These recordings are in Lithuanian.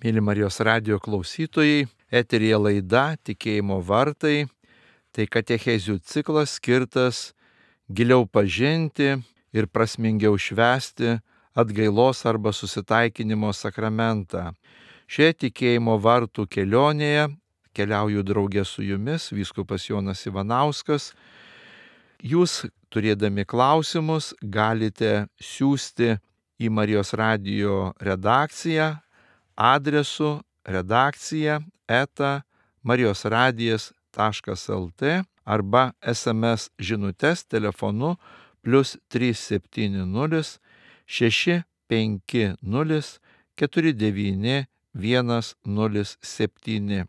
Mėly Marijos radijo klausytojai, eteryje laida Tikėjimo vartai. Tai katechezių ciklas skirtas giliau pažinti ir prasmingiau švęsti atgailos arba susitaikinimo sakramentą. Šioje tikėjimo vartų kelionėje keliauju draugė su jumis, vyskupas Jonas Ivanauskas. Jūs, turėdami klausimus, galite siųsti į Marijos radijo redakciją adresu redakcija@marijosradijas.lt arba SMS žinutes telefonu +370 650 49 107.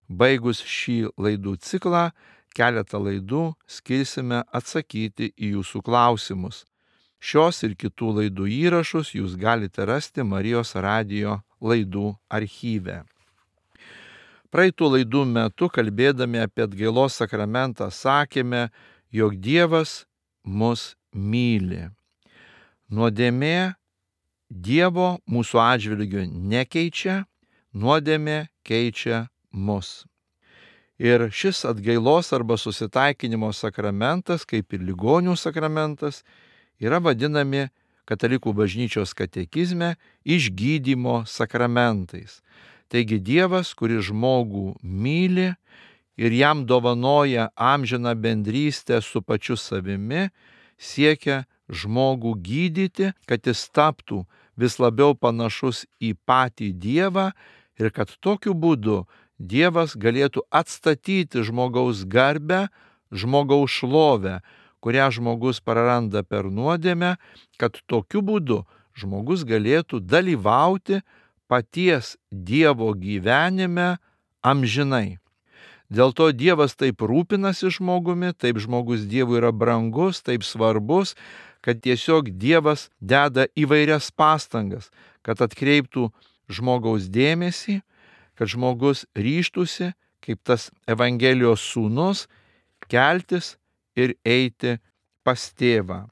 Baigus šį laidų ciklą, keletą laidų skirsime atsakyti į jūsų klausimus. Šios ir kitų laidų įrašus jūs galite rasti Marijos radijo laidų archyve. Praeitų laidų metu, kalbėdami apie atgailos sakramentą, sakėme, jog Dievas mus myli. Nuodėmė Dievo mūsų atžvilgiu nekeičia, nuodėmė keičia mus. Ir šis atgailos arba susitaikinimo sakramentas, kaip ir ligonių sakramentas, yra vadinami Katalikų bažnyčios katekizme išgydymo sakramentais. Taigi Dievas, kuris žmogų myli ir jam dovanoja amžiną bendrystę su pačiu savimi, siekia žmogų gydyti, kad jis taptų vis labiau panašus į patį Dievą ir kad tokiu būdu Dievas galėtų atstatyti žmogaus garbę, žmogaus šlovę, kurią žmogus praranda per nuodėmę, kad tokiu būdu žmogus galėtų dalyvauti paties Dievo gyvenime amžinai. Dėl to Dievas taip rūpinasi žmogumi, taip žmogus Dievui yra brangus, taip svarbus, kad tiesiog Dievas deda įvairias pastangas, kad atkreiptų žmogaus dėmesį, kad žmogus ryžtųsi, kaip tas Evangelijos sūnus, keltis ir eiti pas tėvą.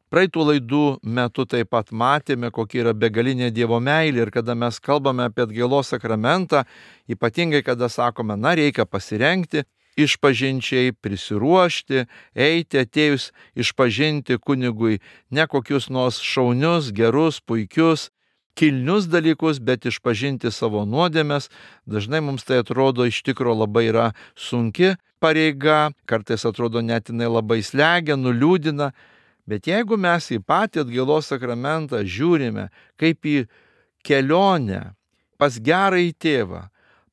Praeitų laidų metu taip pat matėme, kokia yra begalinė Dievo meilė ir kada mes kalbame apie atgailos sakramentą, ypatingai kada sakome, reikia pasirengti, išpažinčiai prisiruošti, eiti atėjus išpažinti kunigui ne kokius nors šaunius, gerus, puikius, kilnius dalykus, bet išpažinti savo nuodėmes. Dažnai mums tai atrodo iš tikro labai yra sunki pareiga, kartais atrodo net jinai labai slegia, nuliūdina, bet jeigu mes į patį atgailos sakramentą žiūrime kaip į kelionę pas gerąjį tėvą,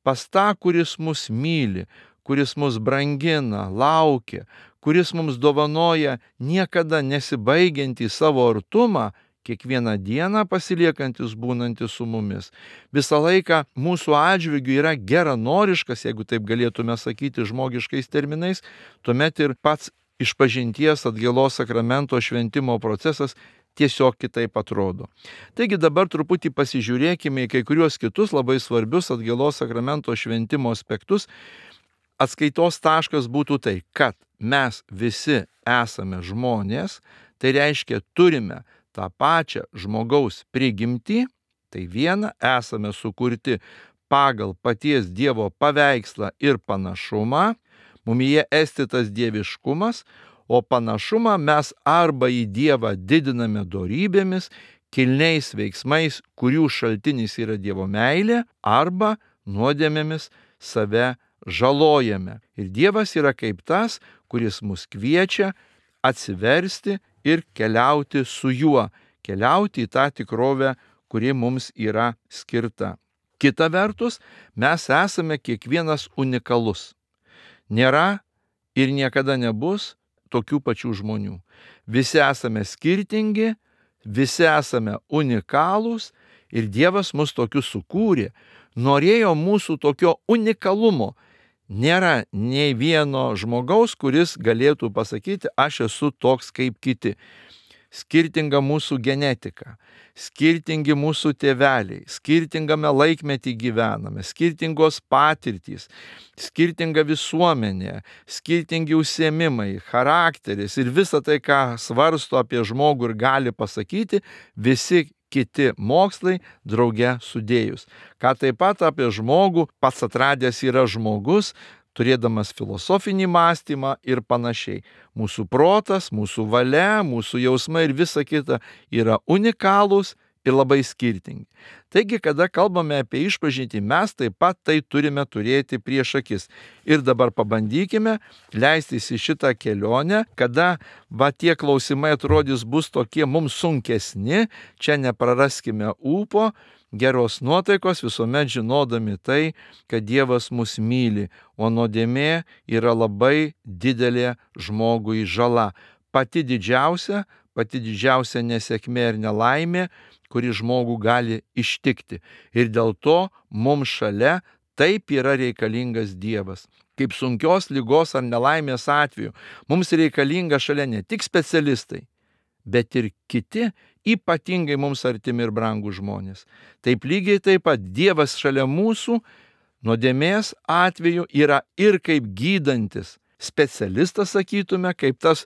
pas tą, kuris mus myli, kuris mus brangina, laukia, kuris mums dovanoja niekada nesibaigiantį savo artumą, kiekvieną dieną pasiliekantis būnantis su mumis. Visą laiką mūsų atžvilgiu yra geranoriškas, jeigu taip galėtume sakyti žmogiškais terminais, tuomet ir pats išpažinties atgailos sakramento šventimo procesas tiesiog kitaip atrodo. Taigi dabar truputį pasižiūrėkime į kai kuriuos kitus labai svarbius atgailos sakramento šventimo aspektus. Atskaitos taškas būtų tai, kad mes visi esame žmonės, tai reiškia turime tą pačią žmogaus prigimtį, tai viena, esame sukurti pagal paties Dievo paveikslą ir panašumą, mumyje esti tas dieviškumas, o panašumą mes arba į Dievą didiname dorybėmis, kilniais veiksmais, kurių šaltinis yra Dievo meilė, arba nuodėmėmis save žalojame. Ir Dievas yra kaip tas, kuris mus kviečia atsiversti ir keliauti su juo, keliauti į tą tikrovę, kuri mums yra skirta. Kita vertus, mes esame kiekvienas unikalus. Nėra ir niekada nebus tokių pačių žmonių. Visi esame skirtingi, visi esame unikalūs ir Dievas mus tokius sukūrė. Norėjo mūsų tokio unikalumo. Nėra nei vieno žmogaus, kuris galėtų pasakyti, aš esu toks kaip kiti. Skirtinga mūsų genetika, skirtingi mūsų tėveliai, skirtingame laikmetį gyvename, skirtingos patirtys, skirtinga visuomenė, skirtingi užsiėmimai, charakteris ir visa tai, ką svarsto apie žmogų ir gali pasakyti, visi kiti mokslai drauge sudėjus. Ką taip pat apie žmogų pats atradęs yra žmogus, turėdamas filosofinį mąstymą ir panašiai. Mūsų protas, mūsų valia, mūsų jausmai ir visa kita yra unikalūs ir labai skirtingi. Taigi, kada kalbame apie išpažintį, mes taip pat tai turime turėti prieš akis. Ir dabar pabandykime leistis į šitą kelionę, kada tie klausimai atrodys bus tokie mums sunkesni, čia nepraraskime ūpo, geros nuotaikos, visuomet žinodami tai, kad Dievas mus myli, o nuodėmė yra labai didelė žmogui žala. Pati didžiausia nesėkmė ir nelaimė, kuri žmogų gali ištikti. Ir dėl to mums šalia taip yra reikalingas Dievas. Kaip sunkios ligos ar nelaimės atveju, mums reikalinga šalia ne tik specialistai, bet ir kiti ypatingai mums artimi ir brangūs žmonės. Taip lygiai taip pat Dievas šalia mūsų nuodėmės atveju yra ir kaip gydantis specialistas, sakytume, kaip tas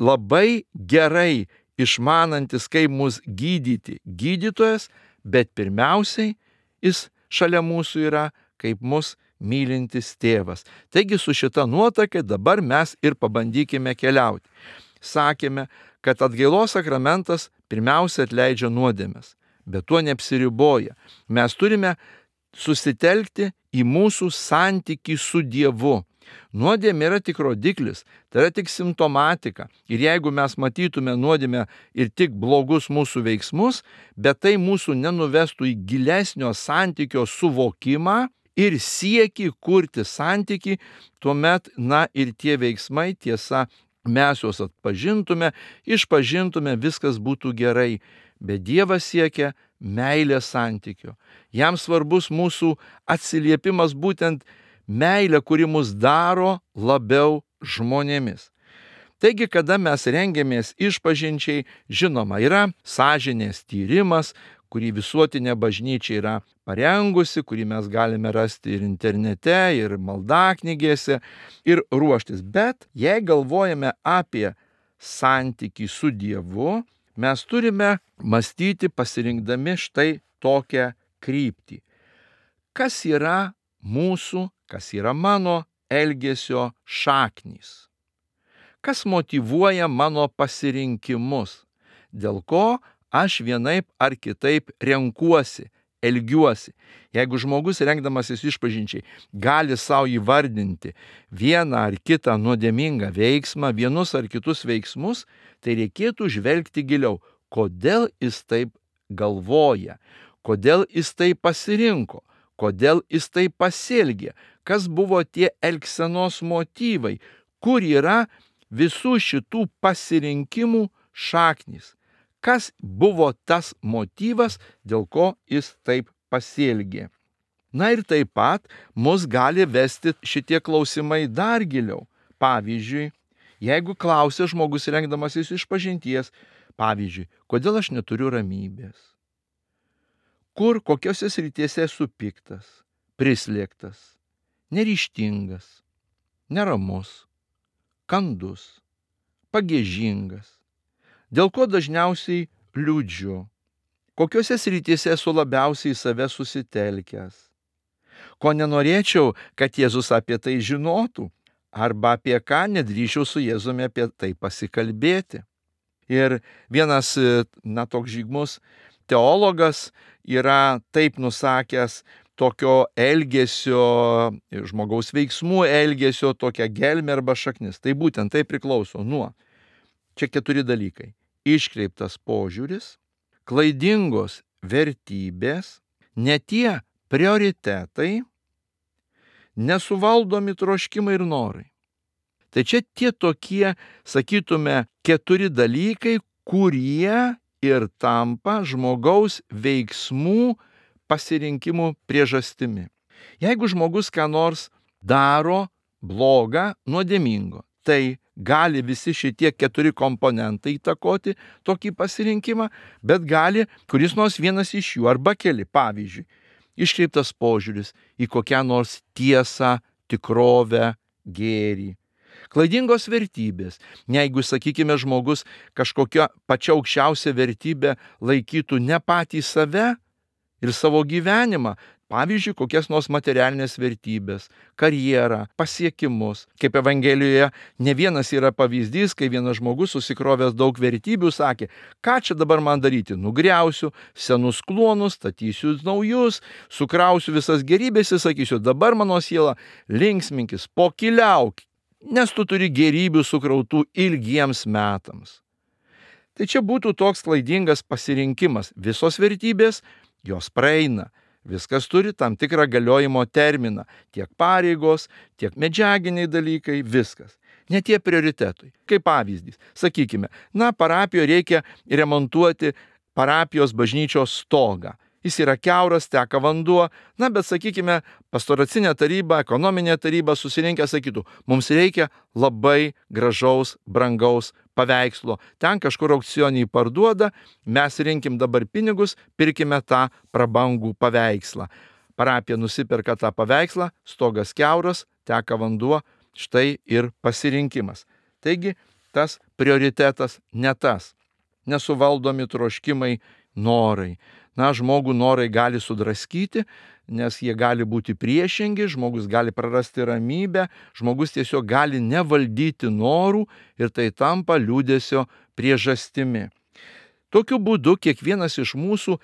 labai gerai išmanantis, kaip mus gydyti gydytojas, bet pirmiausiai jis šalia mūsų yra kaip mus mylintis tėvas. Taigi su šita nuotaka dabar mes ir pabandykime keliauti. Sakėme, kad atgailos sakramentas pirmiausia atleidžia nuodėmes, bet tuo neapsiriboja. Mes turime susitelkti į mūsų santykį su Dievu. Nuodėmė yra tik rodiklis, tai yra tik simptomatika. Ir jeigu mes matytume nuodėmę ir tik blogus mūsų veiksmus, bet tai mūsų nenuvestų į gilesnio santykio suvokimą ir siekį kurti santykį, tuomet, ir tie veiksmai, tiesa, mes juos atpažintume, išpažintume, viskas būtų gerai. Bet Dievas siekia meilės santykio. Jam svarbus mūsų atsiliepimas būtent meilė, kuri mus daro labiau žmonėmis. Taigi, kada mes rengiamės išpažinčiai, žinoma, yra sąžinės tyrimas, kurį visuotinė bažnyčia yra parengusi, kurį mes galime rasti ir internete, ir maldaknygėse, ir ruoštis. Bet jei galvojame apie santykį su Dievu, mes turime mąstyti pasirinkdami štai tokią kryptį. Kas yra mūsų, kas yra mano elgesio šaknys? Kas motyvuoja mano pasirinkimus? Dėl ko aš vienaip ar kitaip renkuosi, elgiuosi? Jeigu žmogus rengdamasis išpažinčiai gali savo įvardinti vieną ar kitą nuodėmingą veiksmą, vienus ar kitus veiksmus, tai reikėtų žvelgti giliau. Kodėl jis taip galvoja? Kodėl jis taip pasirinko? Kodėl jis taip pasielgė? Kas buvo tie elgsenos motyvai? Kur yra visų šitų pasirinkimų šaknys? Kas buvo tas motyvas, dėl ko jis taip pasielgė? Ir taip pat mus gali vesti šitie klausimai dar giliau. Pavyzdžiui, jeigu klausia žmogus rengdamasis išpažinties, pavyzdžiui, kodėl aš neturiu ramybės? Kur, kokiose srityse esu piktas, prislėgtas, neryžtingas, neramus, kandus, pagiežingas? Dėl ko dažniausiai liūdžiu? Kokiose srityse esu labiausiai save susitelkęs? Ko nenorėčiau, kad Jėzus apie tai žinotų? Arba apie ką nedrįčiau su Jėzumi apie tai pasikalbėti? Ir vienas, toks žymus teologas yra taip nusakęs tokio elgesio, žmogaus veiksmų elgesio, tokia gelmė arba šaknis. Tai būtent tai priklauso nuo. Čia 4 dalykai. Iškreiptas požiūris, klaidingos vertybės, ne tie prioritetai, nesuvaldomi troškimai ir norai. Tai čia tie tokie, sakytume, 4 dalykai, kurie ir tampa žmogaus veiksmų pasirinkimų priežastimi. Jeigu žmogus ką nors daro blogą, nuodėmingo, tai gali visi šitie 4 komponentai įtakoti tokį pasirinkimą, bet gali kuris nors vienas iš jų arba keli. Pavyzdžiui, iškreiptas požiūris į kokią nors tiesą, tikrovę, gėrį. Klaidingos vertybės. Jeigu, sakykime, žmogus kažkokią pačią aukščiausią vertybę laikytų ne patį save ir savo gyvenimą, pavyzdžiui, kokias nors materialinės vertybės, karjerą, pasiekimus. Kaip Evangelijoje ne vienas yra pavyzdys, kai vienas žmogus susikrovęs daug vertybių sakė, ką čia dabar man daryti, nugriausiu senus klonus, statysiu naujus, sukrausiu visas gerybės ir sakysiu, dabar mano siela linksminkis, pokyliauk, nes tu turi gerybių sukrautų ilgiems metams. Tai čia būtų toks klaidingas pasirinkimas. Visos vertybės, jos praeina. Viskas turi tam tikrą galiojimo terminą. Tiek pareigos, tiek medžiaginiai dalykai, viskas. Ne tie prioritetai. Kaip pavyzdys. Sakykime, parapijoje reikia remontuoti parapijos bažnyčios stogą. Jis yra kiauras, teka vanduo, bet sakykime, pastoracinė taryba, ekonominė taryba susirinkę sakytų, mums reikia labai gražaus, brangaus paveikslo. Ten kažkur aukcionį parduoda, mes rinkim dabar pinigus, pirkime tą prabangų paveikslą. Parapija nusiperka tą paveikslą, stogas kiauras, teka vanduo, štai ir pasirinkimas. Taigi, tas prioritetas ne tas. Nesuvaldomi troškimai, norai. Žmogų norai gali sudraskyti, nes jie gali būti priešingi, žmogus gali prarasti ramybę, žmogus tiesiog gali nevaldyti norų ir tai tampa liūdesio priežastimi. Tokiu būdu kiekvienas iš mūsų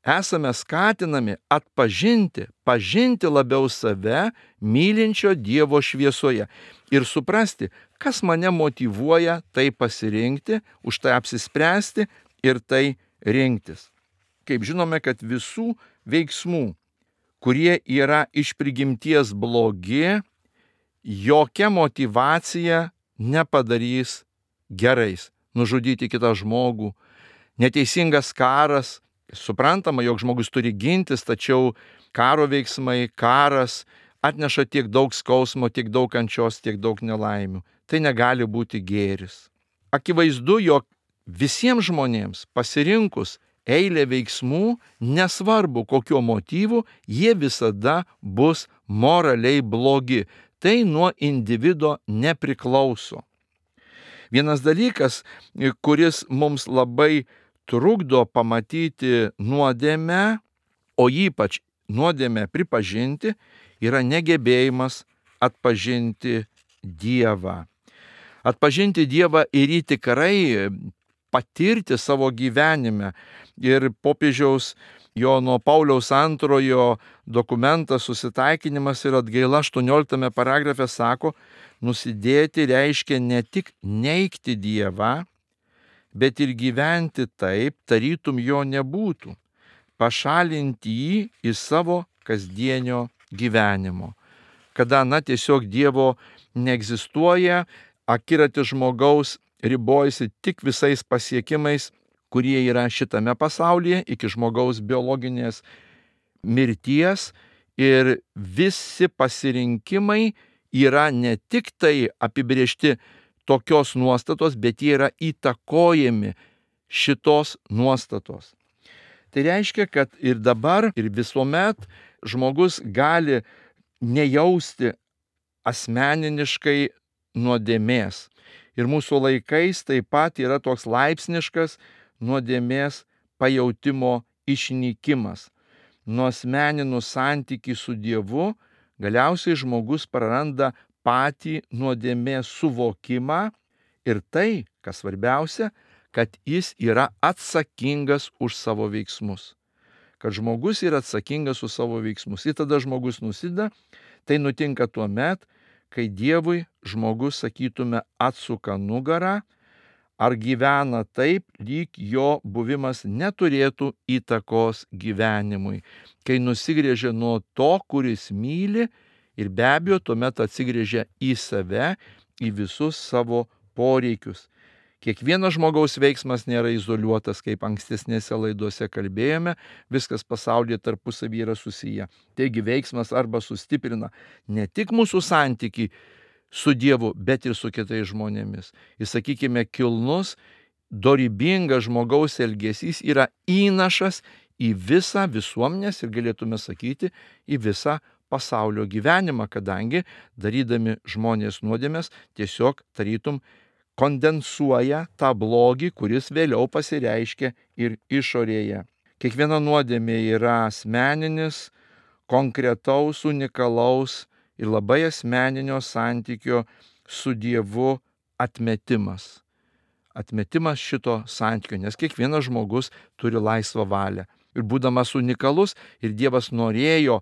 esame skatinami pažinti labiau save, mylinčio Dievo šviesoje ir suprasti, kas mane motyvuoja tai pasirinkti, už tai apsispręsti ir tai rinktis. Kaip žinome, kad visų veiksmų, kurie yra iš prigimties blogi, jokia motyvacija nepadarys gerais. Nužudyti kitą žmogų, neteisingas karas, suprantama, jog žmogus turi gintis, tačiau karo veiksmai, karas atneša tiek daug skausmo, tiek daug kančios, tiek daug nelaimių. Tai negali būti gėris. Akivaizdu, jog visiems žmonėms pasirinkus eilė veiksmų, nesvarbu kokiu motyvu, jie visada bus moraliai blogi. Tai nuo individo nepriklauso. Vienas dalykas, kuris mums labai trukdo pamatyti nuodėmę, o ypač nuodėmę pripažinti, yra negebėjimas atpažinti Dievą. Atpažinti Dievą ir jį tikrai patirti savo gyvenime. Ir popiežiaus Jono Pauliaus II dokumentas Susitaikinimas ir atgaila 18 paragrafe sako, nusidėti reiškia ne tik neigti Dievą, bet ir gyventi taip, tarytum jo nebūtų, pašalinti jį iš savo kasdienio gyvenimo. Kada tiesiog Dievo neegzistuoja, akiratis žmogaus ribojasi tik visais pasiekimais, kurie yra šitame pasaulyje, iki žmogaus biologinės mirties, ir visi pasirinkimai yra ne tik tai apibrėžti tokios nuostatos, bet jie yra įtakojami šitos nuostatos. Tai reiškia, kad ir dabar, ir visuomet žmogus gali nejausti asmeniniškai nuodėmės. Ir mūsų laikais taip pat yra toks laipsniškas nuodėmės pajautimo išnykimas. Nuasmeninus santykį su Dievu, galiausiai žmogus praranda patį nuodėmės suvokimą ir tai, kas svarbiausia, kad jis yra atsakingas už savo veiksmus. Kad žmogus yra atsakingas už savo veiksmus. Ir tada žmogus nusideda, tai nutinka tuo met, kai Dievui žmogus, sakytume, atsuka nugarą, ar gyvena taip, lyg jo buvimas neturėtų įtakos gyvenimui, kai nusigrėžia nuo to, kuris myli, ir be abejo tuomet atsigrėžia į save, į visus savo poreikius. Kiekvieno žmogaus veiksmas nėra izoliuotas, kaip ankstesnėse laidose kalbėjome, viskas pasaulyje tarpusavyje yra susiję. Taigi veiksmas arba sustiprina ne tik mūsų santykį su Dievu, bet ir su kitais žmonėmis. Ir sakykime, kilnus, dorybingas žmogaus elgesys yra įnašas į visą visuomenės ir galėtume sakyti, į visą pasaulio gyvenimą, kadangi darydami žmonės nuodėmes tiesiog tarytum kondensuoja tą blogį, kuris vėliau pasireiškia ir išorėje. Kiekviena nuodėmė yra asmeninis, konkretaus, unikalaus ir labai asmeninio santykio su Dievu atmetimas. Atmetimas šito santykio, nes kiekvienas žmogus turi laisvą valią. Ir būdamas unikalus, ir Dievas norėjo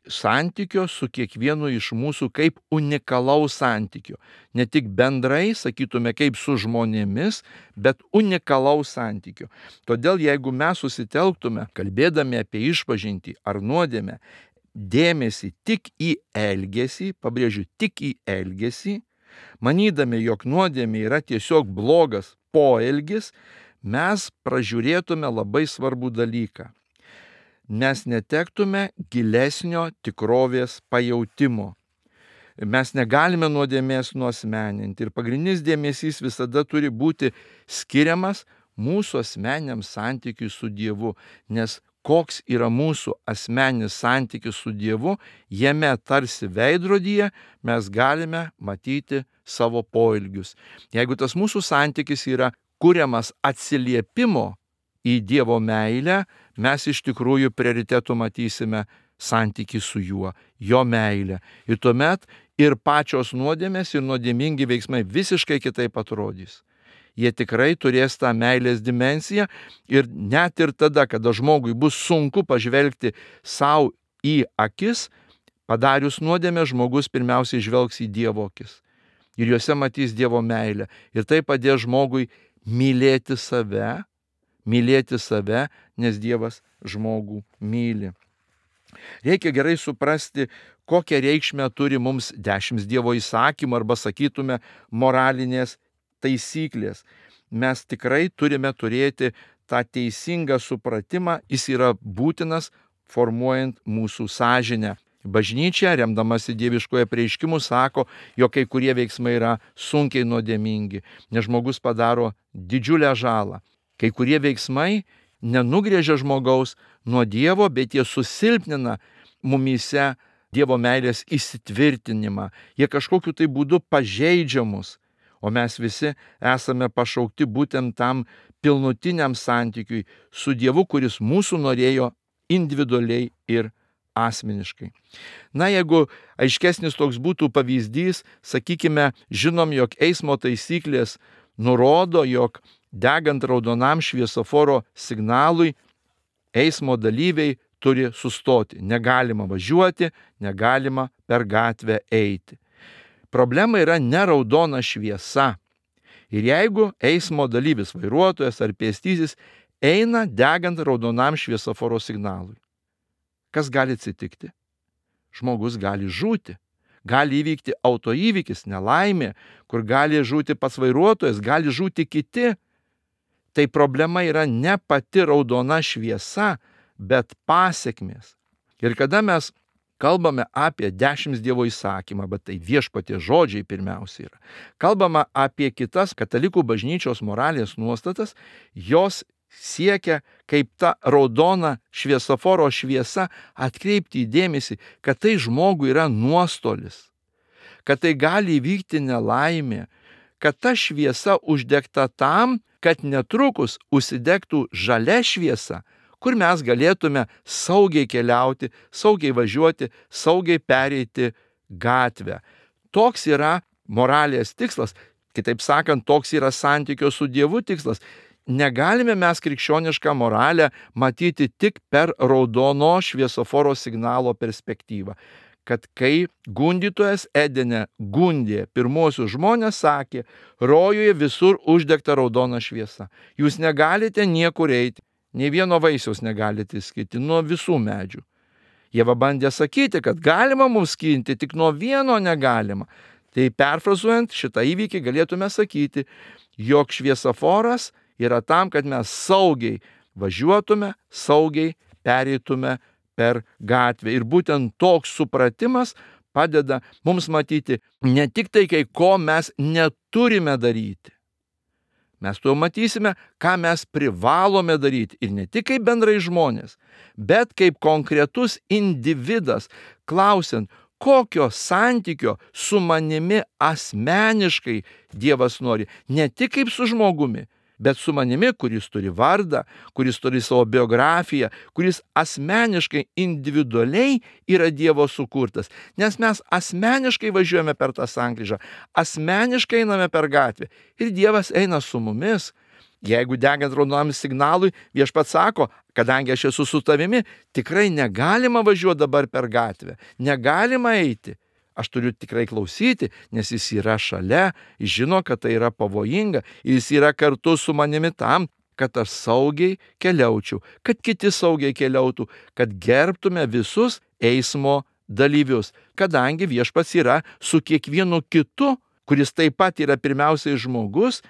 santykio su kiekvienu iš mūsų kaip unikalaus santykio. Ne tik bendrai, sakytume, kaip su žmonėmis, bet unikalaus santykio. Todėl jeigu mes susitelktume, kalbėdami apie išpažintį ar nuodėmę, dėmesį tik į elgesį, pabrėžiu, tik į elgesį, manydami, jog nuodėmė yra tiesiog blogas poelgis, mes pražiūrėtume labai svarbų dalyką. Mes netektume gilesnio tikrovės pajautimo. Mes negalime nuodėmės nuasmeninti ir pagrindinis dėmesys visada turi būti skiriamas mūsų asmeniniam santykiui su Dievu, nes koks yra mūsų asmeninis santykis su Dievu, jame tarsi veidrodyje mes galime matyti savo poelgius. Jeigu tas mūsų santykis yra kuriamas atsiliepimo į Dievo meilę, mes iš tikrųjų prioritetų matysime santykį su juo, jo meilę. Ir tuomet ir pačios nuodėmės, ir nuodėmingi veiksmai visiškai kitaip atrodys. Jie tikrai turės tą meilės dimensiją ir net ir tada, kada žmogui bus sunku pažvelgti savo į akis, padarius nuodėmę, žmogus pirmiausiai žvelgs į Dievo akis. Ir juose matys Dievo meilę. Ir tai padės žmogui mylėti save, nes Dievas žmogų myli. Reikia gerai suprasti, kokią reikšmę turi mums 10 Dievo įsakymų arba sakytume moralinės taisyklės. Mes tikrai turime turėti tą teisingą supratimą, jis yra būtinas formuojant mūsų sąžinę. Bažnyčia, remdamasi dieviškojo apreiškimu, sako, jog kai kurie veiksmai yra sunkiai nuodėmingi, nes žmogus padaro didžiulę žalą. Kai kurie veiksmai nenugrėžia žmogaus nuo Dievo, bet jie susilpnina mumyse Dievo meilės įsitvirtinimą. Jie kažkokiu tai būdu pažeidžia mus, o mes visi esame pašaukti būtent tam pilnutiniam santykiui su Dievu, kuris mūsų norėjo individualiai ir asmeniškai. Na, jeigu aiškesnis toks būtų pavyzdys, sakykime, žinom, jog eismo taisyklės nurodo, jog degant raudonam šviesoforo signalui, eismo dalyviai turi sustoti. Negalima važiuoti, negalima per gatvę eiti. Problema yra ne raudona šviesa. Ir jeigu eismo dalyvis, vairuotojas ar pėstysis eina degant raudonam šviesoforo signalui, kas gali atsitikti? Žmogus gali žūti. Gali įvykti autoįvykis, nelaimė, kur gali žūti pats vairuotojas, gali žūti kiti. Tai problema yra ne pati raudona šviesa, bet pasekmės. Ir kada mes kalbame apie 10 Dievo įsakymą, bet tai Viešpaties žodžiai pirmiausia yra, kalbama apie kitas katalikų bažnyčios moralės nuostatas, jos siekia kaip ta raudona šviesoforo šviesa atkreipti dėmesį, kad tai žmogui yra nuostolis, kad tai gali įvykti nelaimė, kad ta šviesa uždegta tam, kad netrukus užsidegtų žalia šviesa, kur mes galėtume saugiai keliauti, saugiai važiuoti, saugiai pereiti gatvę. Toks yra moralės tikslas, kitaip sakant, toks yra santykio su Dievu tikslas. Negalime mes krikščionišką moralę matyti tik per raudono šviesoforo signalo perspektyvą. Kad kai gundytojas Edene gundė pirmosius žmonės, sakė, rojuje visur uždegta raudona šviesa. Jūs negalite niekur eiti, nei vieno vaisiaus negalite skirti nuo visų medžių. Jie bandė sakyti, kad galima mums skinti, tik nuo vieno negalima. Tai perfrazuojant šitą įvykį galėtume sakyti, jog šviesoforas yra tam, kad mes saugiai važiuotume, saugiai pereitume per gatvę. Ir būtent toks supratimas padeda mums matyti ne tik tai, ko mes neturime daryti, Mes tuo matysime, ką mes privalome daryti ir ne tik kaip bendrai žmonės, bet kaip konkretus individas, klausiant, kokio santykio su manimi asmeniškai Dievas nori, ne tik kaip su žmogumi, bet su manimi, kuris turi vardą, kuris turi savo biografiją, kuris asmeniškai, individualiai yra Dievo sukurtas. Nes mes asmeniškai važiuojame per tą sankryžą, asmeniškai einame per gatvę ir Dievas eina su mumis. Jeigu degant raudonam signalui, Viešpats sako, kadangi aš esu su tavimi, tikrai negalima važiuoti dabar per gatvę, negalima eiti. Aš turiu tikrai klausyti, nes jis yra šalia, jis žino, kad tai yra pavojinga, jis yra kartu su manimi tam, kad aš saugiai keliaučiau, kad kiti saugiai keliautų, kad gerbtume visus eismo dalyvius, kadangi Viešpats yra su kiekvienu kitu, kuris taip pat yra pirmiausiai žmogus,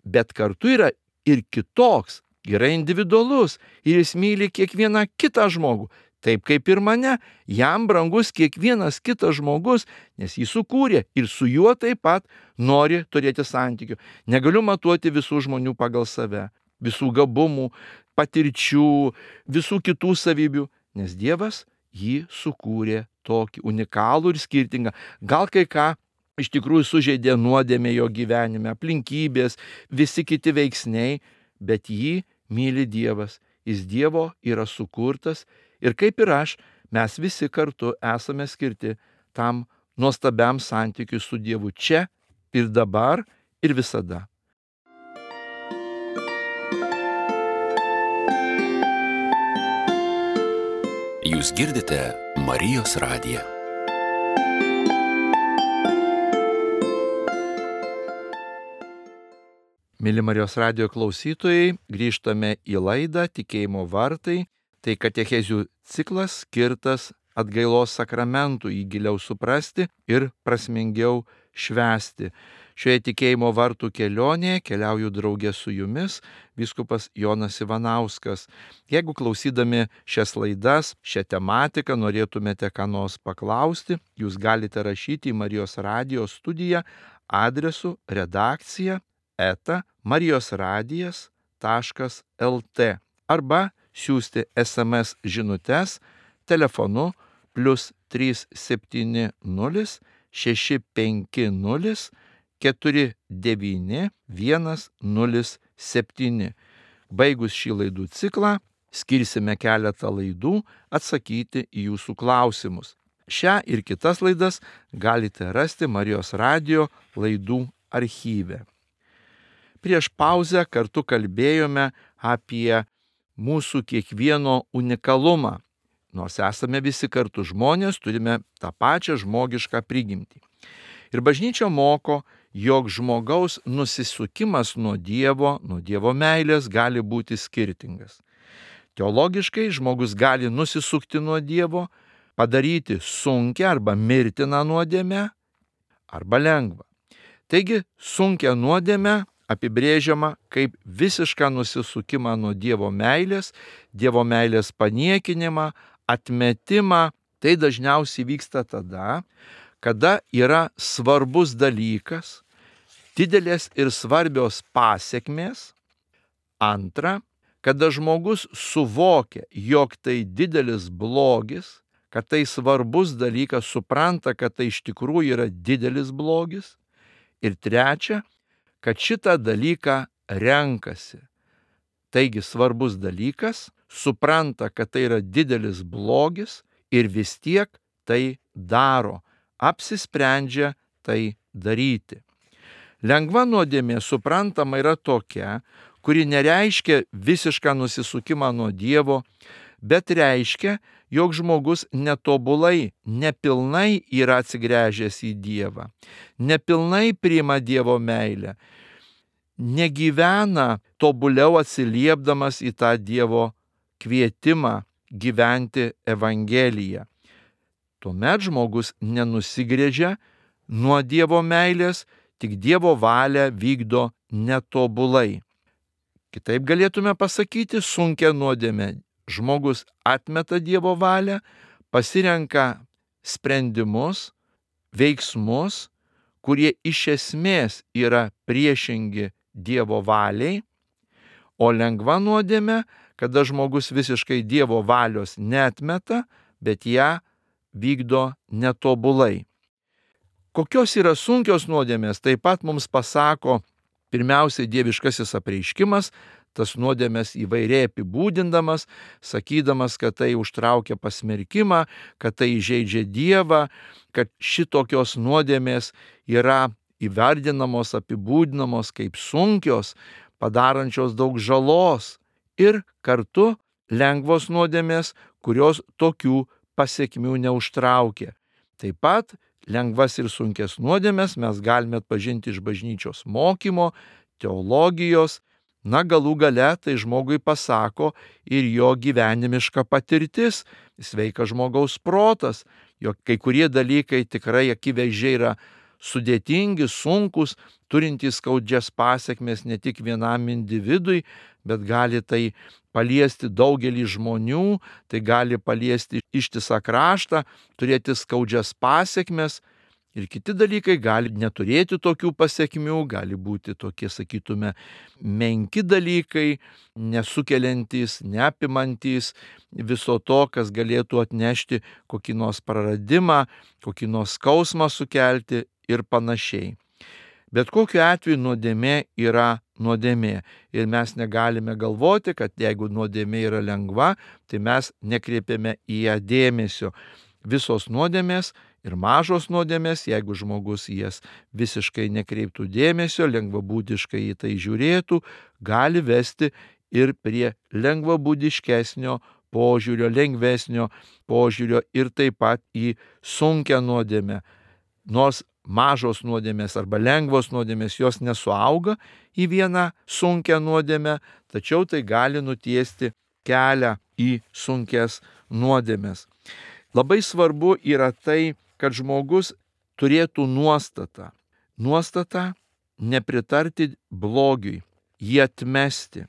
bet kartu yra ir kitoks, yra individualus ir jis myli kiekvieną kitą žmogų. Taip kaip ir mane, jam brangus kiekvienas kitas žmogus, nes jį sukūrė ir su juo taip pat nori turėti santykių. Negaliu matuoti visų žmonių pagal save, visų gabumų, patirčių, visų kitų savybių, nes Dievas jį sukūrė tokį unikalų ir skirtingą. Gal kai ką iš tikrųjų sužeidė nuodėmė jo gyvenime, aplinkybės, visi kiti veiksniai, bet jį myli Dievas. Jis Dievo yra sukurtas. Ir kaip ir aš, mes visi kartu esame skirti tam nuostabiam santykiui su Dievu čia ir dabar ir visada. Jūs girdite Marijos radiją. Mėly Marijos radijo klausytojai, grįžtame į laidą Tikėjimo vartai. Tai katechezių ciklas skirtas atgailos sakramentų, jį giliau suprasti ir prasmingiau švęsti. Šioje tikėjimo vartų kelionėje keliauju draugė su jumis, vyskupas Jonas Ivanauskas. Jeigu klausydami šias laidas, šią tematiką norėtumėte ką nors paklausti, jūs galite rašyti į Marijos radijo studiją adresu redakcija@marijosradijas.lt arba siųsti SMS žinutes telefonu +370 650 49107. Baigus šį laidų ciklą, skirsime keletą laidų atsakyti į jūsų klausimus. Šią ir kitas laidas galite rasti Marijos radijo laidų archyve. Prieš pauzę kartu kalbėjome apie mūsų kiekvieno unikalumą. Nors esame visi kartu žmonės, turime tą pačią žmogišką prigimtį. Ir bažnyčia moko, jog žmogaus nusisukimas nuo Dievo meilės gali būti skirtingas. Teologiškai žmogus gali nusisukti nuo Dievo, padaryti sunkią arba mirtiną nuodėmę, arba lengvą. Taigi sunkią nuodėmę apibrėžiama kaip visišką nusisukimą nuo Dievo meilės paniekinimą, atmetimą. Tai dažniausiai vyksta tada, kada yra svarbus dalykas, didelės ir svarbios pasekmės. Antra, kada žmogus suvokia, jog tai didelis blogis, kad tai svarbus dalykas, supranta, kad tai iš tikrųjų yra didelis blogis. Ir trečia, kad šitą dalyką renkasi. Taigi svarbus dalykas, supranta, kad tai yra didelis blogis ir vis tiek tai daro, apsisprendžia tai daryti. Lengva nuodėmė suprantama yra tokia, kuri nereiškia visišką nusisukimą nuo Dievo, bet reiškia, jog žmogus netobulai, nepilnai yra atsigręžęs į Dievą, nepilnai priima Dievo meilę, negyvena tobuliau atsiliepdamas į tą Dievo kvietimą gyventi Evangeliją. Tuomet žmogus nenusigręžia nuo Dievo meilės, tik Dievo valią vykdo netobulai. Kitaip galėtume pasakyti, sunkia nuodėmė. Žmogus atmeta Dievo valią, pasirenka sprendimus, veiksmus, kurie iš esmės yra priešingi Dievo valiai, o lengva nuodėmė, kada žmogus visiškai Dievo valios neatmeta, bet ją vykdo netobulai. Kokios yra sunkios nuodėmės, taip pat mums pasako pirmiausiai dieviškasis apreiškimas, tas nuodėmės įvairiai apibūdindamas, sakydamas, kad tai užtraukia pasmerkimą, kad tai įžeidžia Dievą, kad šitokios nuodėmės yra įvardinamos, apibūdinamos kaip sunkios, padarančios daug žalos, ir kartu lengvos nuodėmės, kurios tokių pasekmių neužtraukia. Taip pat lengvas ir sunkes nuodėmes mes galime atpažinti iš bažnyčios mokymo, teologijos, galų gale tai žmogui pasako ir jo gyvenimiška patirtis, sveikas žmogaus protas, jog kai kurie dalykai tikrai akivaizdžiai yra sudėtingi, sunkus, turintys skaudžias pasekmes ne tik vienam individui, bet gali tai paliesti daugelį žmonių, tai gali paliesti ištisą kraštą, turėti skaudžias pasekmes. Ir kiti dalykai gali neturėti tokių pasekmių, gali būti tokie, sakytume, menki dalykai, nesukeliantys, neapimantys viso to, kas galėtų atnešti kokį nors praradimą, kokį nors skausmą sukelti ir panašiai. Bet kokiu atveju nuodėmė yra nuodėmė. Ir mes negalime galvoti, kad jeigu nuodėmė yra lengva, tai mes nekreipiame į ją dėmesio. Visos nuodėmės ir mažos nuodėmės, jeigu žmogus jas visiškai nekreiptų dėmesio, lengvabūdiškai į tai žiūrėtų, gali vesti ir prie lengvabūdiškesnio požiūrio, lengvesnio požiūrio ir taip pat į sunkią nuodėmę. Nors mažos nuodėmės arba lengvos nuodėmės jos nesuauga į vieną sunkią nuodėmę, tačiau tai gali nutiesti kelią į sunkes nuodėmės. Labai svarbu yra tai, kad žmogus turėtų nuostatą. Nuostatą nepritarti blogiui, jį atmesti.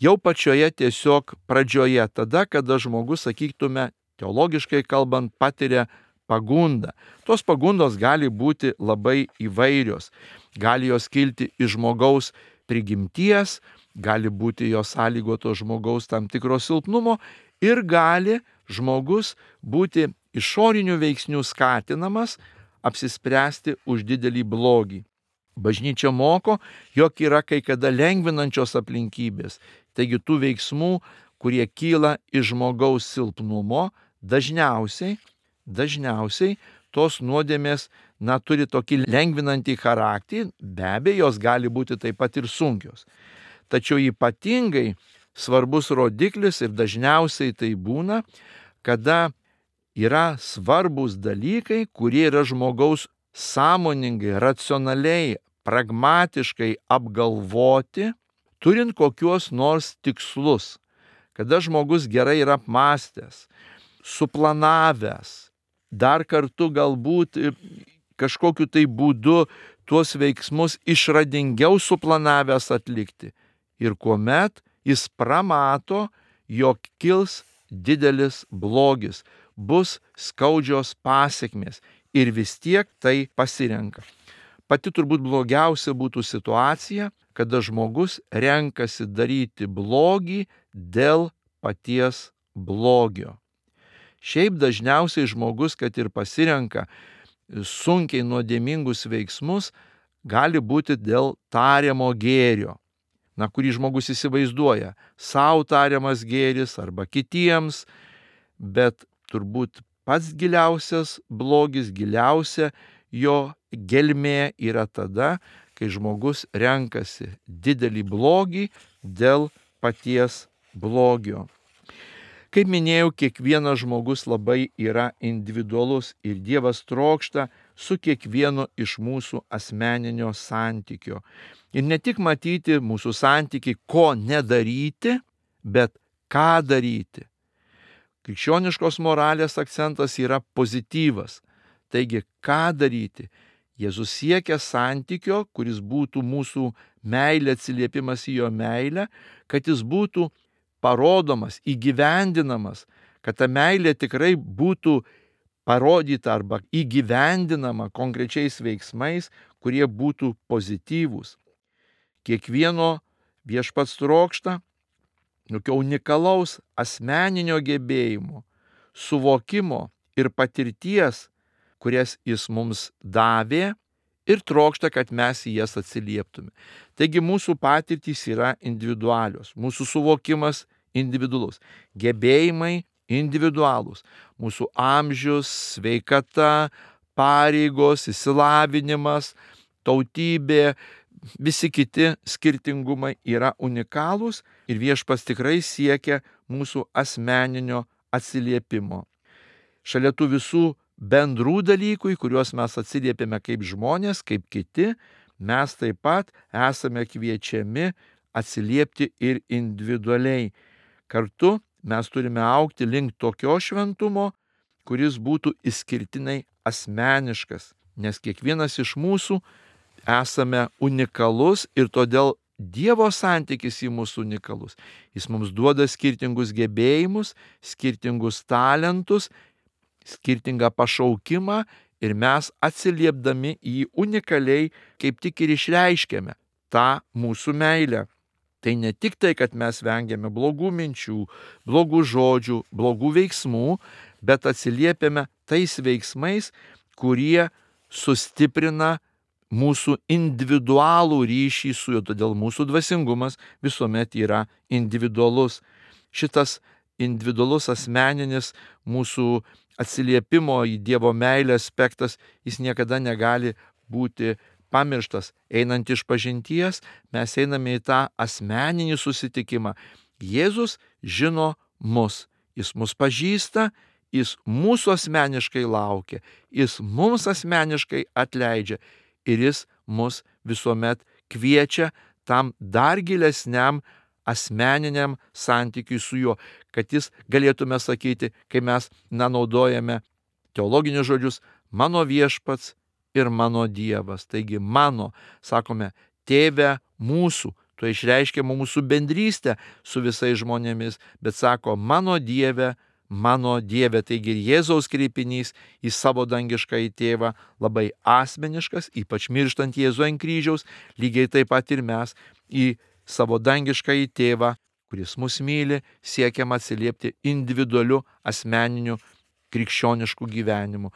Jau pačioje tiesiog pradžioje, tada, kada žmogus, sakytume, teologiškai kalbant, patiria pagundą. Tos pagundos gali būti labai įvairios. Gali jos kilti iš žmogaus prigimties, gali būti jos sąlygoto žmogaus tam tikro silpnumo ir gali žmogus būti išorinių veiksnių skatinamas apsispręsti už didelį blogį. Bažnyčia moko, jog yra kai kada lengvinančios aplinkybės. Taigi tų veiksmų, kurie kyla iš žmogaus silpnumo, dažniausiai tos nuodėmės turi tokį lengvinantį charakterį, be abejo, jos gali būti taip pat ir sunkios. Tačiau ypatingai svarbus rodiklis ir dažniausiai tai būna, kada yra svarbus dalykai, kurie yra žmogaus sąmoningai, racionaliai, pragmatiškai apgalvoti, turint kokios nors tikslus. Kada žmogus gerai yra apmąstęs, suplanavęs, dar kartu galbūt kažkokiu tai būdu tuos veiksmus išradingiau suplanavęs atlikti. Ir kuomet jis pramato, jog kils didelis blogis, bus skaudžios pasekmės ir vis tiek tai pasirenka. Pati turbūt blogiausia būtų situacija, kada žmogus renkasi daryti blogį dėl paties blogio. Šiaip dažniausiai žmogus, kad ir pasirenka sunkiai nuodėmingus veiksmus, gali būti dėl tariamo gėrio, kurį žmogus įsivaizduoja, savo tariamas gėris arba kitiems, bet turbūt pats giliausias blogis, giliausia jo gelmė yra tada, kai žmogus renkasi didelį blogį dėl paties blogio. Kaip minėjau, kiekvienas žmogus labai yra individualus ir Dievas trokšta su kiekvienu iš mūsų asmeninio santykio. Ir ne tik matyti mūsų santykį, ko nedaryti, bet ką daryti. Krikščioniškos moralės akcentas yra pozityvas. Taigi, ką daryti? Jėzus siekia santykio, kuris būtų mūsų meilė, atsiliepimas į jo meilę, kad jis būtų parodomas, įgyvendinamas, kad ta meilė tikrai būtų parodyta arba įgyvendinama konkrečiais veiksmais, kurie būtų pozityvūs. Kiekvieno viešpats trokšta tokio unikalaus asmeninio gebėjimo, suvokimo ir patirties, kurias jis mums davė ir trokšta, kad mes į jas atsilieptume. Taigi mūsų patirtys yra individualios, mūsų suvokimas individualus, gebėjimai individualūs, mūsų amžius, sveikata, pareigos, išsilavinimas, tautybė, visi kiti skirtingumai yra unikalūs ir viešpats tikrai siekia mūsų asmeninio atsiliepimo. Šalia tų visų bendrų dalykų, į kuriuos mes atsiliepiame kaip žmonės, kaip kiti, mes taip pat esame kviečiami atsiliepti ir individualiai. Kartu mes turime augti link tokio šventumo, kuris būtų išskirtinai asmeniškas, nes kiekvienas iš mūsų esame unikalus ir todėl Dievo santykis į mūsų unikalus. Jis mums duoda skirtingus gebėjimus, skirtingus talentus, skirtingą pašaukimą ir mes atsiliepdami į unikaliai kaip tik ir išreiškiame tą mūsų meilę. Tai ne tik tai, kad mes vengiame blogų minčių, blogų žodžių, blogų veiksmų, bet atsiliepiame tais veiksmais, kurie sustiprina mūsų individualų ryšį su juo, todėl mūsų dvasingumas visuomet yra individualus. Šitas individualus asmeninis mūsų atsiliepimo į Dievo meilę aspektas, jis niekada negali būti pamirštas. Einant iš pažinties, mes einame į tą asmeninį susitikimą. Jėzus žino mus, jis mus pažįsta, jis mūsų asmeniškai laukia, jis mums asmeniškai atleidžia ir jis mus visuomet kviečia tam dar gilesniam asmeniniam santykiui su juo, kad jis galėtume sakyti, kai mes naudojame teologinius žodžius, mano viešpats ir mano Dievas. Taigi mano, sakome, tėve mūsų, tuo išreiškiama mūsų bendrystė su visais žmonėmis, bet sako mano Dieve, mano Dieve. Taigi ir Jėzaus kreipinys į savo dangiškąjį tėvą labai asmeniškas, ypač mirštant Jėzų ant kryžiaus, lygiai taip pat ir mes į savo dangiškąjį tėvą, kuris mus myli, siekiam atsiliepti individualiu asmeniniu krikščionišku gyvenimu.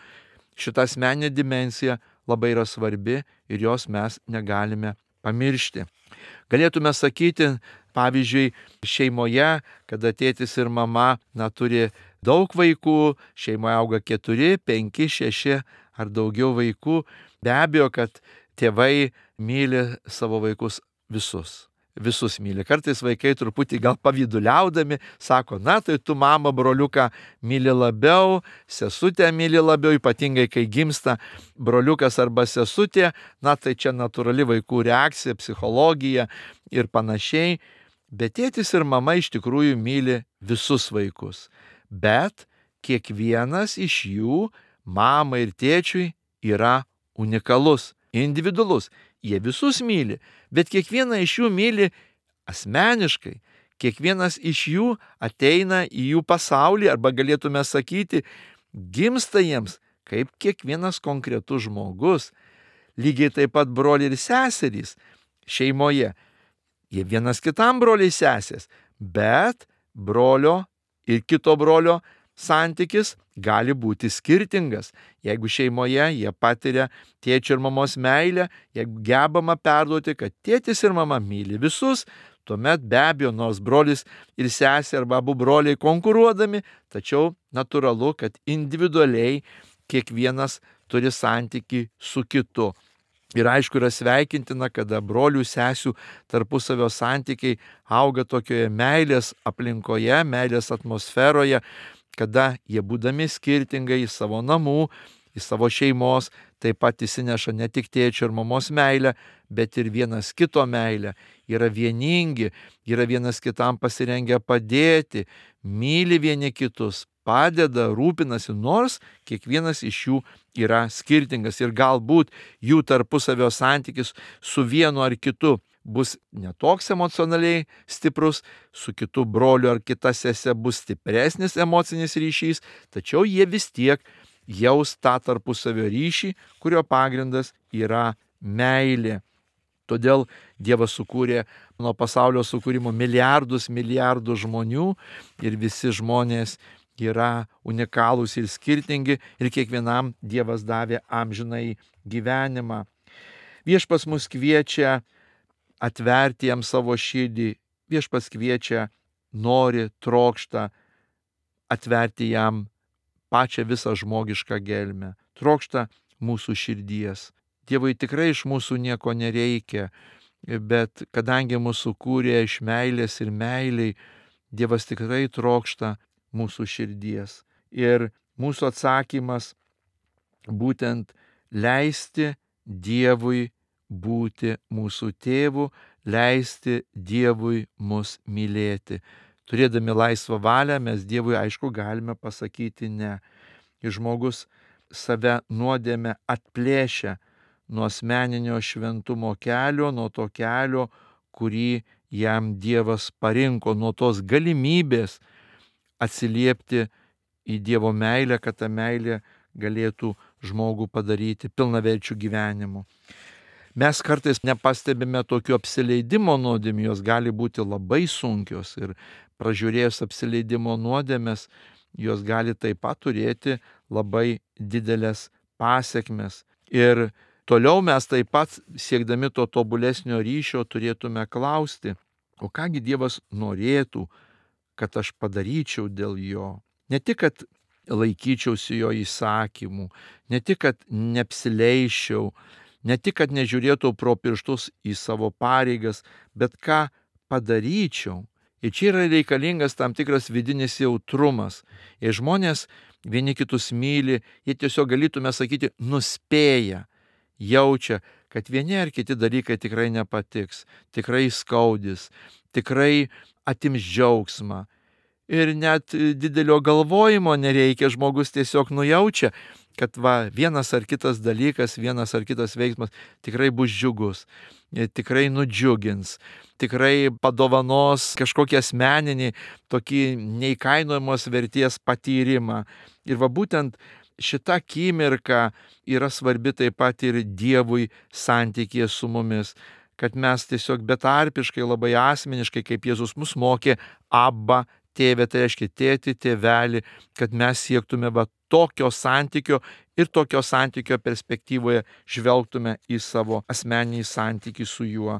Šita asmeninė dimensija labai yra svarbi ir jos mes negalime pamiršti. Galėtume sakyti, pavyzdžiui, šeimoje, kada tėtis ir mama turi daug vaikų, šeimoje auga 4, 5, 6 ar daugiau vaikų, be abejo, kad tėvai myli savo vaikus visus. Visus myli. Kartais vaikai truputį gal pavyduliaudami sako, tai tu mama broliuką myli labiau, sesutę myli labiau, ypatingai kai gimsta broliukas arba sesutė, tai čia natūrali vaikų reakcija, psichologija ir panašiai. Bet tėtis ir mama iš tikrųjų myli visus vaikus. Bet kiekvienas iš jų, mamai ir tėčiui, yra unikalus, individualus. Jie visus myli, bet kiekvieną iš jų myli asmeniškai. Kiekvienas iš jų ateina į jų pasaulį, arba galėtume sakyti, gimsta jiems kaip kiekvienas konkretus žmogus. Lygiai taip pat broliai ir seserys šeimoje. Jie vienas kitam broliai sesės, bet brolio ir kito brolio santykis gali būti skirtingas. Jeigu šeimoje jie patiria tėčio ir mamos meilę, jeigu gebama perduoti, kad tėtis ir mama myli visus, tuomet be abejo, nors brolis ir sesė arba abu broliai konkuruodami, tačiau natūralu, kad individualiai kiekvienas turi santykį su kitu. Ir aišku, yra sveikintina, kada brolių sesių tarpusavio santykiai auga tokioje meilės aplinkoje, meilės atmosferoje, kada jie būdami skirtingai į savo namų, į savo šeimos, taip pat įsineša ne tik tėčio ir mamos meilę, bet ir vienas kito meilę. Yra vieningi, yra vienas kitam pasirengę padėti, myli vieni kitus, padeda, rūpinasi, nors kiekvienas iš jų yra skirtingas ir galbūt jų tarpusavio santykis su vienu ar kitu bus netoks emocionaliai stiprus, su kitu broliu ar kita sese bus stipresnis emocinis ryšys, tačiau jie vis tiek jaus tą tarpusavio ryšį, kurio pagrindas yra meilė. Todėl Dievas sukūrė nuo pasaulio sukūrimo milijardus žmonių ir visi žmonės yra unikalūs ir skirtingi ir kiekvienam Dievas davė amžinai gyvenimą. Viešpats mus kviečia atverti jam savo širdį, viešpats kviečia, nori, trokšta atverti jam pačią visą žmogišką gelmę, trokšta mūsų širdies. Dievui tikrai iš mūsų nieko nereikia, bet kadangi mūsų kūrė iš meilės ir meiliai, Dievas tikrai trokšta mūsų širdies. Ir mūsų atsakymas būtent leisti Dievui būti mūsų tėvu, leisti Dievui mus mylėti. Turėdami laisvą valią mes Dievui aišku galime pasakyti ne. Ir žmogus save nuodėmę atplėšia nuo asmeninio šventumo kelio, nuo to kelio, kurį jam Dievas parinko, nuo tos galimybės atsiliepti į Dievo meilę, kad ta meilė galėtų žmogų padaryti pilnaverčių gyvenimu. Mes kartais nepastebime tokių apsileidimo nuodėmių, jos gali būti labai sunkios ir pražiūrėjus apsileidimo nuodėmes, jos gali taip pat turėti labai didelės pasekmes. Ir toliau mes taip pat, siekdami to tobulesnio ryšio, turėtume klausti, o kągi Dievas norėtų, kad aš padaryčiau dėl jo. Ne tik, kad laikyčiausi jo įsakymų, ne tik, kad neapsileiščiau, ne tik, kad nežiūrėtų pro pirštus į savo pareigas, bet ką padaryčiau. Ir čia yra reikalingas tam tikras vidinis jautrumas. Jei žmonės vieni kitus myli, jie tiesiog galėtume sakyti, nuspėja, jaučia, kad vieni ar kiti dalykai tikrai nepatiks, tikrai skaudis, tikrai atims džiaugsmą. Ir net didelio galvojimo nereikia, žmogus tiesiog nujaučia, kad vienas ar kitas dalykas, vienas ar kitas veiksmas tikrai bus džiugus, tikrai nudžiugins, tikrai padovanos kažkokį asmeninį, tokį neįkainojamos vertės patyrimą. Ir būtent šita akimirka yra svarbi taip pat ir Dievui santykyje su mumis, kad mes tiesiog betarpiškai, labai asmeniškai, kaip Jėzus mus mokė, Abba, tėve, tai reiškia tėti, tėvelį, kad mes siektume tokio santykio ir tokio santykio perspektyvoje žvelgtume į savo asmeninį santykį su juo.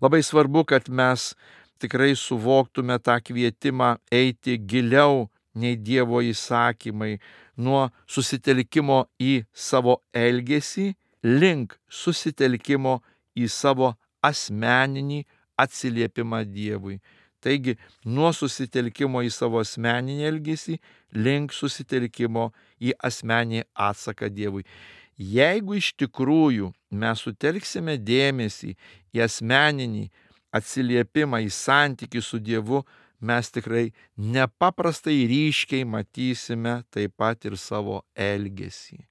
Labai svarbu, kad mes tikrai suvoktume tą kvietimą eiti giliau nei Dievo įsakymai, nuo susitelkimo į savo elgesį link susitelkimo į savo asmeninį atsiliepimą Dievui. Taigi, nuo susitelkimo į savo asmeninį elgesį link susitelkimo į asmeninį atsaką Dievui. Jeigu iš tikrųjų mes sutelksime dėmesį į asmeninį atsiliepimą, į santykį su Dievu, mes tikrai nepaprastai ryškiai matysime taip pat ir savo elgesį.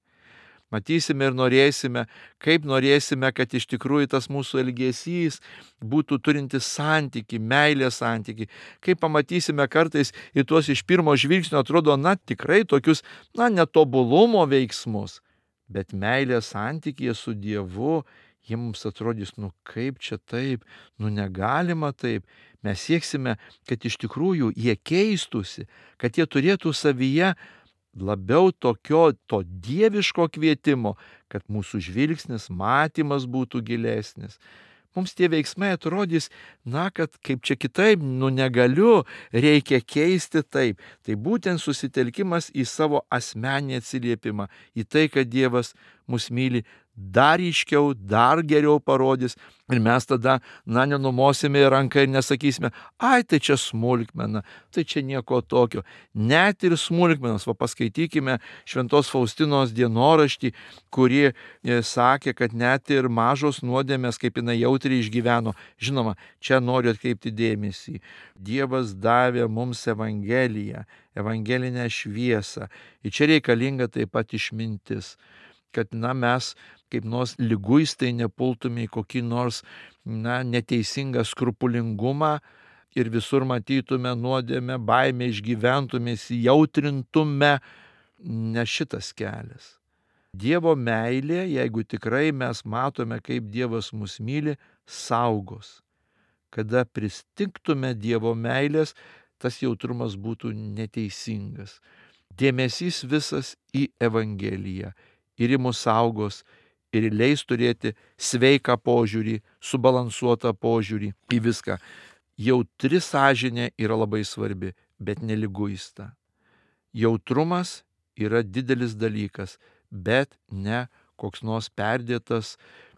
Matysime ir norėsime, kaip norėsime, kad iš tikrųjų tas mūsų elgesys būtų turintis santykį, meilės santykį. Kaip pamatysime kartais į tuos iš pirmo žvilgsnio atrodo, tikrai tokius, netobulumo veiksmus. Bet meilės santykyje su Dievu, jie mums atrodys, kaip čia taip, negalima taip. Mes sieksime, kad iš tikrųjų jie keistųsi, kad jie turėtų savyje labiau to dieviško kvietimo, kad mūsų žvilgsnis, matymas būtų gilesnis. Mums tie veiksmai atrodys, kad kaip čia kitaip, negaliu, reikia keisti taip. Tai būtent susitelkimas į savo asmeninį atsiliepimą, į tai, kad Dievas mus myli, dar ryškiau, dar geriau parodys. Ir mes tada, nenumosime ranką ir nesakysime, tai čia smulkmena, tai čia nieko tokio. Net ir smulkmenos, paskaitykime Šventos Faustinos dienoraštį, kuri sakė, kad net ir mažos nuodėmės, kaip jinai jautriai išgyveno. Žinoma, čia noriu atkreipti dėmesį. Dievas davė mums Evangeliją, evangelinę šviesą. Ir čia reikalinga taip pat išmintis, kad mes kaip nors liguistai nepultume į kokį nors neteisingą skrupulingumą ir visur matytume nuodėmę, baimę, išgyventume, įsijautrintume. Ne šitas kelias. Dievo meilė, jeigu tikrai mes matome, kaip Dievas mus myli, saugos. Kada pristigtume Dievo meilės, tas jautrumas būtų neteisingas. Dėmesys visas į Evangeliją ir į mus saugos ir leis turėti sveiką požiūrį, subalansuotą požiūrį į viską. Jautri sąžinė yra labai svarbi, bet neliguista. Jautrumas yra didelis dalykas, bet ne koks nors perdėtas,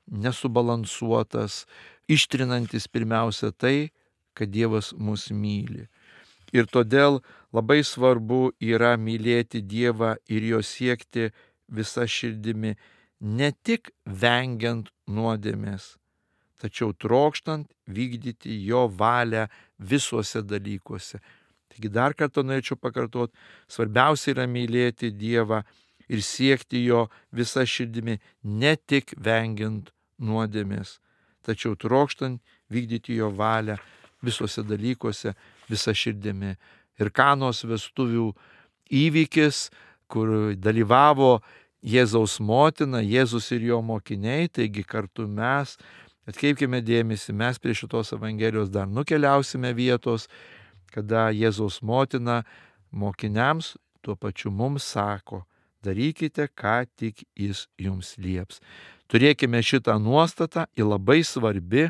nesubalansuotas, ištrinantis pirmiausia tai, kad Dievas mus myli. Ir todėl labai svarbu yra mylėti Dievą ir jo siekti visa širdimi, ne tik vengiant nuodėmės, tačiau trokštant vykdyti jo valią visuose dalykuose. Taigi dar kartą norėčiau pakartoti, svarbiausia yra mylėti Dievą ir siekti jo visa širdimi, ne tik vengiant nuodėmės, tačiau trokštant vykdyti jo valią visuose dalykuose visa širdimi. Ir Kanos vestuvių įvykis, kur dalyvavo Jėzaus motina, Jėzus ir jo mokiniai, taigi kartu mes, atkreipkime dėmesį, mes prie šitos Evangelijos dar nukeliausime vietos, kada Jėzaus motina mokiniams, tuo pačiu mums sako, darykite, ką tik jis jums lieps. Turėkime šitą nuostatą, ji labai svarbi,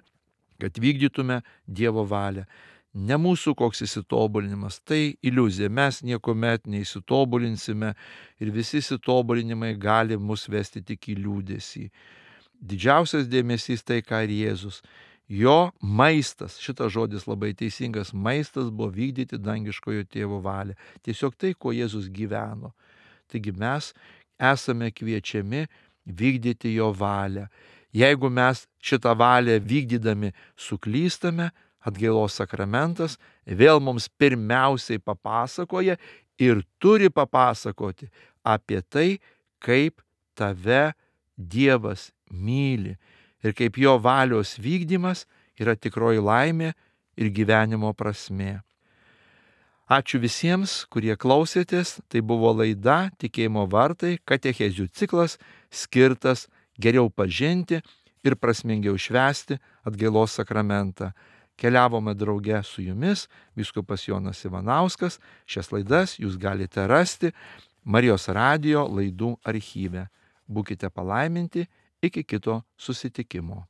kad vykdytume Dievo valią. Ne mūsų koks įsitobulinimas, tai iliuzija, mes niekuomet neįsitobulinsime ir visi įsitobulinimai gali mus vesti tik į liūdesį. Didžiausias dėmesys tai, ką ir Jėzus. Jo maistas, šitas žodis labai teisingas, maistas buvo vykdyti dangiškojo tėvo valią. Tiesiog tai, kuo Jėzus gyveno. Taigi mes esame kviečiami vykdyti jo valią. Jeigu mes šitą valią vykdydami suklystame, atgailos sakramentas vėl mums pirmiausiai papasakoja ir turi papasakoti apie tai, kaip tave Dievas myli ir kaip jo valios vykdymas yra tikroji laimė ir gyvenimo prasmė. Ačiū visiems, kurie klausėtės. Tai buvo laida Tikėjimo vartai, katechezių ciklas skirtas geriau pažinti ir prasmingiau švęsti atgailos sakramentą. Keliavome drauge su jumis, vyskupas Jonas Ivanauskas. Šias laidas jūs galite rasti Marijos radijo laidų archyve. Būkite palaiminti, iki kito susitikimo.